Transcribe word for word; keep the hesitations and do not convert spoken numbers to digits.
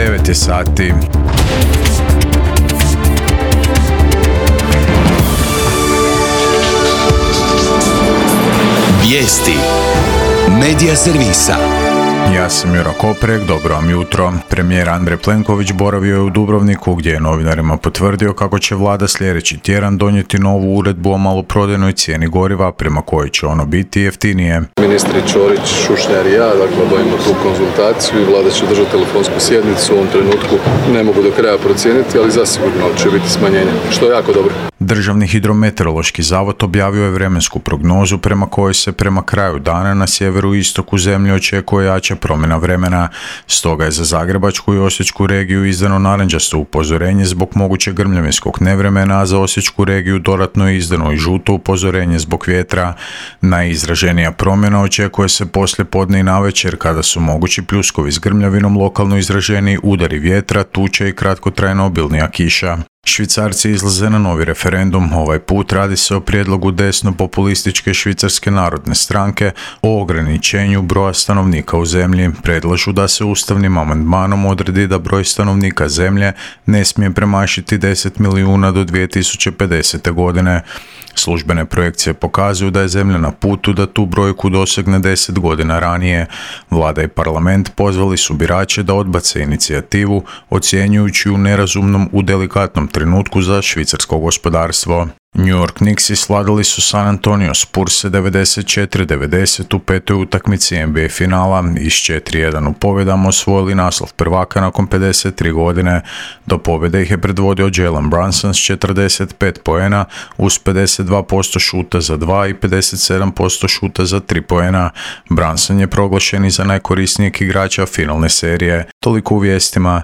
devet je sati. Vijesti Medija servisa. Ja sam Juro Koprek, dobro vam jutro. Premijer Andrej Plenković boravio je u Dubrovniku gdje je novinarima potvrdio kako će vlada sljedeći tjedan donijeti novu uredbu o maloprodajnoj cijeni goriva prema kojoj će ono biti jeftinije. Ministri Ćorić, Šušnjar i ja, dakle, obavimo tu konzultaciju i vlada će držati telefonsku sjednicu. U ovom trenutku ne mogu do kraja procijeniti, ali zasigurno će biti smanjenje, što je jako dobro. Državni hidrometeorološki zavod objavio je vremensku prognozu prema kojoj se prema kraju dana na sjeveru i istoku zemlje očekuje jača promjena vremena. Stoga je za Zagrebačku i Osječku regiju izdano narančasto upozorenje zbog mogućeg grmljavinskog nevremena, a za Osječku regiju dodatno je izdano i žuto upozorenje zbog vjetra. Najizraženija promjena očekuje se poslije podne i navečer kada su mogući pljuskovi s grmljavinom, lokalno izraženiji udari vjetra, tuče i kratkotrajno obilnija kiša. Švicarci izlaze na novi referendum. Ovaj put radi se o prijedlogu desno-populističke Švicarske narodne stranke o ograničenju broja stanovnika u zemlji. Predlažu da se ustavnim amandmanom odredi da broj stanovnika zemlje ne smije premašiti deset milijuna do dvije tisuće pedesete. godine. Službene projekcije pokazuju da je zemlja na putu da tu brojku dosegne deset godina ranije. Vlada i parlament pozvali su birače da odbace inicijativu, ocjenjujući ju nerazumnom u delikatnom trenutku za švicarsko gospodarstvo. New York Knicksi sladili su San Antonio Spurse devedeset četiri devedeset u petoj utakmici N B A finala i s četiri jedan u pobjedama osvojili naslov prvaka nakon pedeset tri godine. Do pobjede ih je predvodio Jalen Brunson s četrdeset pet poena uz pedeset dva posto šuta za dva i pedeset sedam posto šuta za tri poena. Brunson je proglašen i za najkorisnijeg igrača finalne serije. Toliko u vijestima,